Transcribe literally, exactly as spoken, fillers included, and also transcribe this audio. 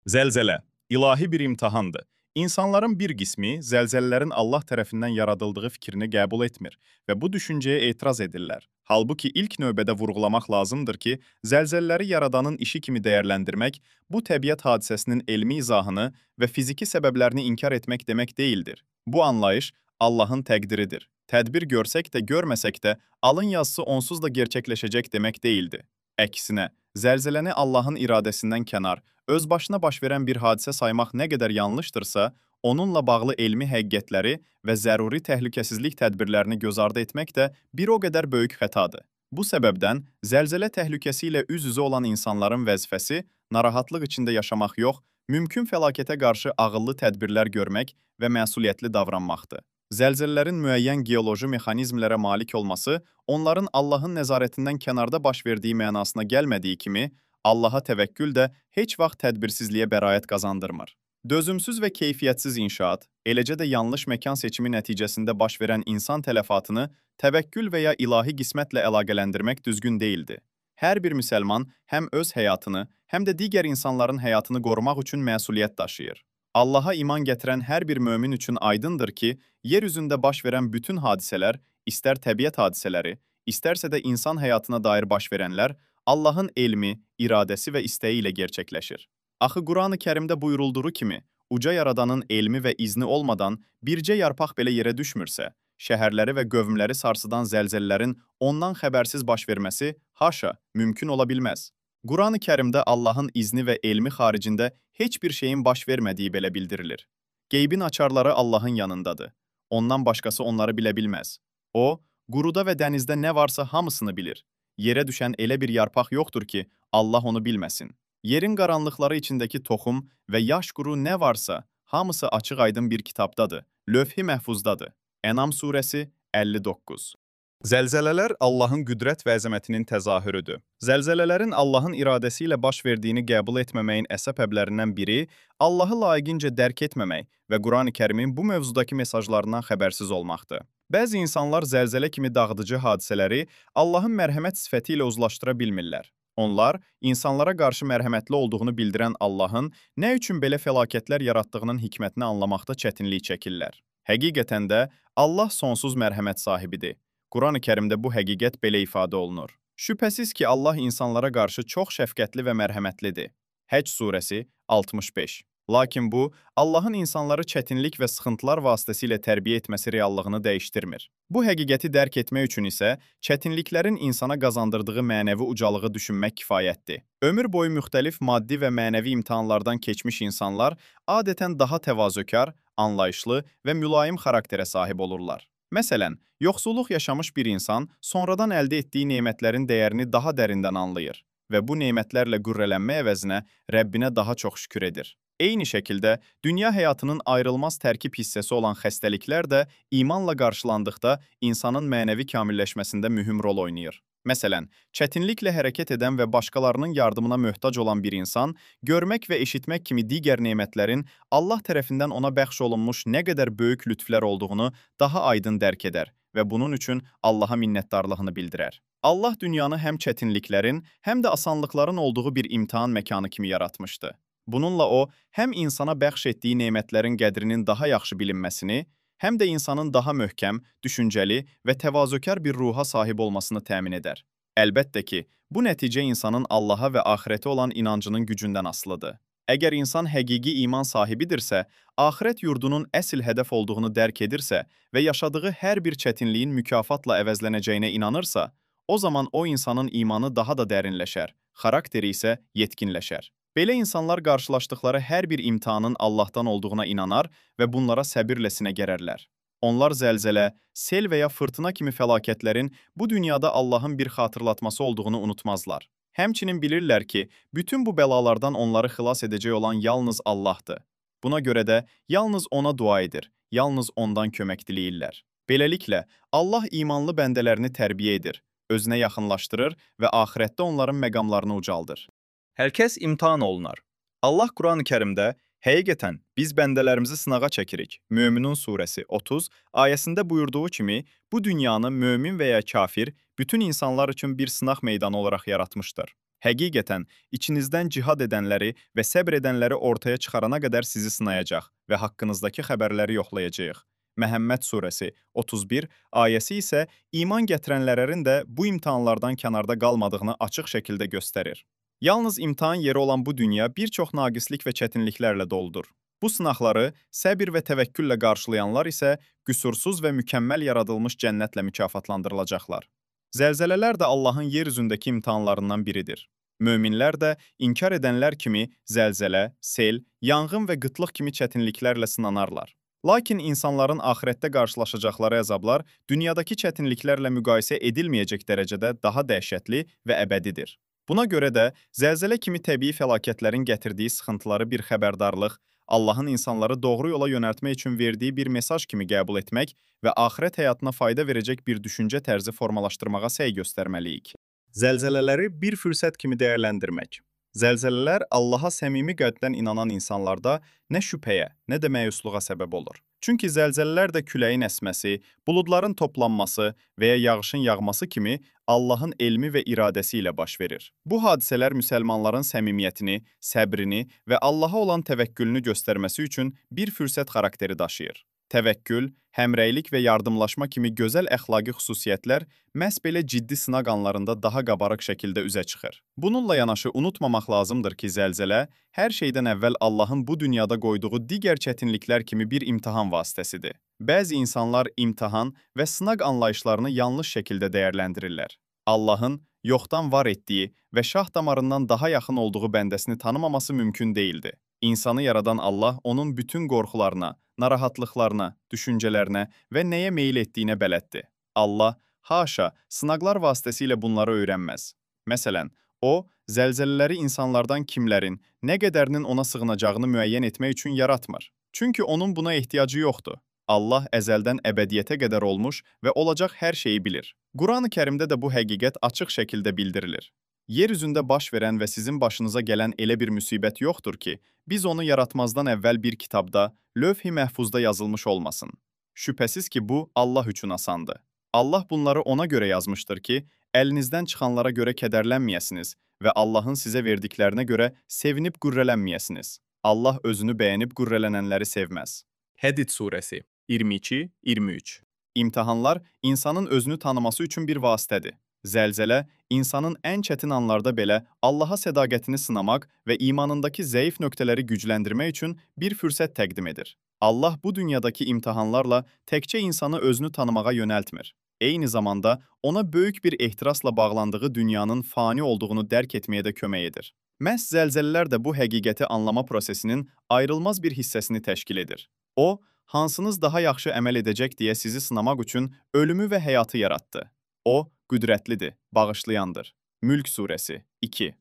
Zəlzələ ilahi bir imtahandır. İnsanların bir qismi zəlzələlərin Allah tərəfindən yaradıldığı fikrini qəbul etmir və bu düşüncəyə etiraz edirlər. Halbuki ilk növbədə vurğulamaq lazımdır ki, zəlzələləri yaradanın işi kimi dəyərləndirmək, bu təbiət hadisəsinin elmi izahını və fiziki səbəblərini inkar etmək demək deyildir. Bu anlayış Allahın təqdiridir. Tədbir görsək də, görməsək də, alın yazısı onsuz da gerçəkləşəcək demək deyildi. Əksinə, zəlzələni Allahın iradəsindən kənar, öz başına baş verən bir hadisə saymaq nə qədər yanlışdırsa, onunla bağlı elmi həqiqətləri və zəruri təhlükəsizlik tədbirlərini göz ardı etmək də bir o qədər böyük xətadır. Bu səbəbdən zəlzələ təhlükəsi ilə üz-üzə olan insanların vəzifəsi narahatlıq içində yaşamaq yox, mümkün fəlakətə qarşı ağıllı tədbirlər görmək və məsuliyyətli davranmaqdır. Zəlzələlərin müəyyən geoloji mexanizmlərə malik olması, onların Allahın nəzarətindən kənarda baş verdiyi mənasına gəlmədiyi kimi, Allaha təvəkkül də heç vaxt tədbirsizliyə bəraət qazandırmır. Dözümsüz və keyfiyyətsiz inşaat, eləcə də yanlış məkan seçimi nəticəsində baş verən insan tələfatını təvəkkül və ya ilahi qismətlə əlaqələndirmək düzgün deyildi. Hər bir müsəlman həm öz həyatını, həm də digər insanların həyatını qorumaq üçün məsuliyyət daşıyır. Allaha iman gətirən hər bir mömin üçün aydındır ki, yer üzündə baş verən bütün hadisələr, istər təbiət hadisələri, istərsə də insan həyatına dair baş verənlər, Allahın elmi, iradəsi və istəyi ilə gerçəkləşir. Axı Qurani-Kərimdə buyurulduğu kimi, uca yaradanın elmi və izni olmadan bircə yarpaq belə yerə düşmürsə, şəhərləri və qövmləri sarsıdan zəlzələlərin ondan xəbərsiz baş verməsi, haşa, mümkün ola bilməz. Qurani-Kərimdə Allahın izni və elmi xaricində heç bir şeyin baş vermədiyi belə bildirilir. Qeybin açarları Allahın yanındadır. Ondan başqası onları bilə bilməz. O, quruda və dənizdə nə varsa hamısını bilir. Yerə düşən elə bir yarpaq yoxdur ki, Allah onu bilməsin. Yerin qaranlıqları içindəki toxum və yaş quru nə varsa, hamısı açıq-aydın bir kitabdadır, lövh-i məhfuzdadır. Ənam surəsi əlli doqquz. Zəlzələlər Allahın qüdrət və əzəmətinin təzahürüdür. Zəlzələlərin Allahın iradəsi ilə baş verdiyini qəbul etməməyin əsəbəblərindən biri Allahı layiqincə dərk etməmək və Qurani-Kərimin bu mövzudakı mesajlarından xəbərsiz olmaqdır. Bəzi insanlar zəlzələ kimi dağıdıcı hadisələri Allahın mərhəmət sifəti ilə uzlaşdıra bilmirlər. Onlar, insanlara qarşı mərhəmətli olduğunu bildirən Allahın nə üçün belə fəlakətlər yaratdığının hikmətini anlamaqda çətinlik çəkirlər. Həqiqətən də Allah sonsuz mərhəmət sahibidir. Qurani-Kərimdə bu həqiqət belə ifadə olunur. Şübhəsiz ki, Allah insanlara qarşı çox şəfqətli və mərhəmətlidir. Həcc surəsi altmış beş. Lakin bu, Allahın insanları çətinlik və sıxıntılar vasitəsilə tərbiyə etməsi reallığını dəyişdirmir. Bu həqiqəti dərk etmək üçün isə çətinliklərin insana qazandırdığı mənəvi ucalığı düşünmək kifayətdir. Ömür boyu müxtəlif maddi və mənəvi imtahanlardan keçmiş insanlar adətən daha təvazökar, anlayışlı və mülayim xarakterə sahib olurlar. Məsələn, yoxsulluq yaşamış bir insan sonradan əldə etdiyi nemətlərin dəyərini daha dərindən anlayır və bu nemətlərlə qürrələnmə əvəzinə Rəbbinə daha çox şükür edir. Eyni şəkildə, dünya həyatının ayrılmaz tərkib hissəsi olan xəstəliklər də imanla qarşılandıqda insanın mənəvi kamilləşməsində mühüm rol oynayır. Məsələn, çətinliklə hərəkət edən və başqalarının yardımına möhtac olan bir insan, görmək və eşitmək kimi digər nemətlərin Allah tərəfindən ona bəxş olunmuş nə qədər böyük lütflər olduğunu daha aydın dərk edər və bunun üçün Allaha minnətdarlığını bildirər. Allah dünyanı həm çətinliklərin, həm də asanlıqların olduğu bir imtahan məkanı kimi yaratmışdı. Bununla o, həm insana bəxş etdiyi nemətlərin qədrinin daha yaxşı bilinməsini, həm də insanın daha möhkəm, düşüncəli və təvazökar bir ruha sahib olmasını təmin edər. Əlbəttə ki, bu nəticə insanın Allaha və axirətə olan inancının gücündən asılıdır. Əgər insan həqiqi iman sahibidirsə, axirət yurdunun əsl hədəf olduğunu dərk edirsə və yaşadığı hər bir çətinliyin mükafatla əvəzlənəcəyinə inanırsa, o zaman o insanın imanı daha da dərinləşər, xarakteri isə yetkinləşər. Belə insanlar qarşılaşdıqları hər bir imtihanın Allahdan olduğuna inanar və bunlara səbirlə sinə gərərlər. Onlar zəlzələ, sel və ya fırtına kimi fəlakətlərin bu dünyada Allahın bir xatırlatması olduğunu unutmazlar. Həmçinin bilirlər ki, bütün bu bəlalardan onları xilas edəcək olan yalnız Allahdır. Buna görə də yalnız ona dua edir, yalnız ondan kömək diləyirlər. Beləliklə, Allah imanlı bəndələrini tərbiyə edir, özünə yaxınlaşdırır və axirətdə onların məqamlarını ucaldır. Hər kəs imtahan olunar. Allah Qurani-Kərimdə, həqiqətən, biz bəndələrimizi sınağa çəkirik. Möminun surəsi otuz ayəsində buyurduğu kimi, bu dünyanı mömin və ya kafir, bütün insanlar üçün bir sınaq meydanı olaraq yaratmışdır. Həqiqətən, içinizdən cihad edənləri və səbr edənləri ortaya çıxarana qədər sizi sınayacaq və haqqınızdakı xəbərləri yoxlayacağıq. Məhəmməd surəsi otuz bir ayəsi isə iman gətirənlərin də bu imtahanlardan kənarda qalmadığını açıq şəkildə göstərir. Yalnız imtahan yeri olan bu dünya bir çox naqislik və çətinliklərlə doludur. Bu sınaqları səbir və təvəkküllə qarşılayanlar isə qüsursuz və mükəmməl yaradılmış cənnətlə mükafatlandırılacaqlar. Zəlzələlər də Allahın yer üzündəki imtahanlarından biridir. Möminlər də inkar edənlər kimi zəlzələ, sel, yanğın və qıtlıq kimi çətinliklərlə sınanarlar. Lakin insanların axirətdə qarşılaşacaqları əzablar dünyadakı çətinliklərlə müqayisə edilməyəcək dərəcədə daha dəhşətli və əbədidir. Buna görə də zəlzələ kimi təbii fəlakətlərin gətirdiyi sıxıntıları bir xəbərdarlıq, Allahın insanları doğru yola yönəltmək üçün verdiyi bir mesaj kimi qəbul etmək və axirət həyatına fayda verəcək bir düşüncə tərzi formalaşdırmağa səy göstərməliyik. Zəlzələləri bir fürsət kimi dəyərləndirmək. Zəlzələlər Allaha səmimi qəlbdən inanan insanlarda nə şübhəyə, nə də məyusluğa səbəb olur. Çünki zəlzələlər də küləyin əsməsi, buludların toplanması və ya yağışın yağması kimi Allahın elmi və iradəsi ilə baş verir. Bu hadisələr müsəlmanların səmimiyyətini, səbrini və Allaha olan təvəkkülünü göstərməsi üçün bir fürsət xarakteri daşıyır. Təvəkkül, həmrəylik və yardımlaşma kimi gözəl əxlaqi xüsusiyyətlər məhz belə ciddi sınaq anlarında daha qabarıq şəkildə üzə çıxır. Bununla yanaşı unutmamaq lazımdır ki, zəlzələ hər şeydən əvvəl Allahın bu dünyada qoyduğu digər çətinliklər kimi bir imtahan vasitəsidir. Bəzi insanlar imtahan və sınaq anlayışlarını yanlış şəkildə dəyərləndirirlər. Allahın yoxdan var etdiyi və şah damarından daha yaxın olduğu bəndəsini tanımaması mümkün değildi. İnsanı yaradan Allah onun bütün qorxularına, narahatlıqlarına, düşüncələrinə və nəyə meyil etdiyinə bələddir. Allah, haşa, sınaqlar vasitəsilə bunları öyrənməz. Məsələn, o, zəlzələləri insanlardan kimlərin, nə qədərinin ona sığınacağını müəyyən etmək üçün yaratmır. Çünki onun buna ehtiyacı yoxdur. Allah əzəldən əbədiyyətə qədər olmuş və olacaq hər şeyi bilir. Quran-ı Kərimdə də bu həqiqət açıq şəkildə bildirilir. Yer üzündə baş verən və sizin başınıza gələn elə bir müsibət yoxdur ki, biz onu yaratmazdan əvvəl bir kitabda, lövh-i məhfuzda yazılmış olmasın. Şübhəsiz ki, bu Allah üçün asandır. Allah bunları ona görə yazmışdır ki, əlinizdən çıxanlara görə kədərlənməyəsiniz və Allahın sizə verdiklərinə görə sevinib qürrələnməyəsiniz. Allah özünü bəyənib qürrələnənləri sevməz. Hədid surəsi iyirmi iki iyirmi üç. İmtahanlar insanın özünü tanıması üçün bir vasitədir. Zəlzələ, insanın ən çətin anlarda belə Allaha sədaqətini sınamaq və imanındakı zəif nöqtələri gücləndirmək üçün bir fürsət təqdim edir. Allah bu dünyadakı imtahanlarla təkcə insanı özünü tanımağa yönəltmir. Eyni zamanda ona böyük bir ehtirasla bağlandığı dünyanın fani olduğunu dərk etməyə də kömək edir. Məhz zəlzələlər də bu həqiqəti anlama prosesinin ayrılmaz bir hissəsini təşkil edir. O, hansınız daha yaxşı əməl edəcək deyə sizi sınamaq üçün ölümü və həyatı yaratdı. O, qüdrətlidir, bağışlayandır. Mülk surəsi iki.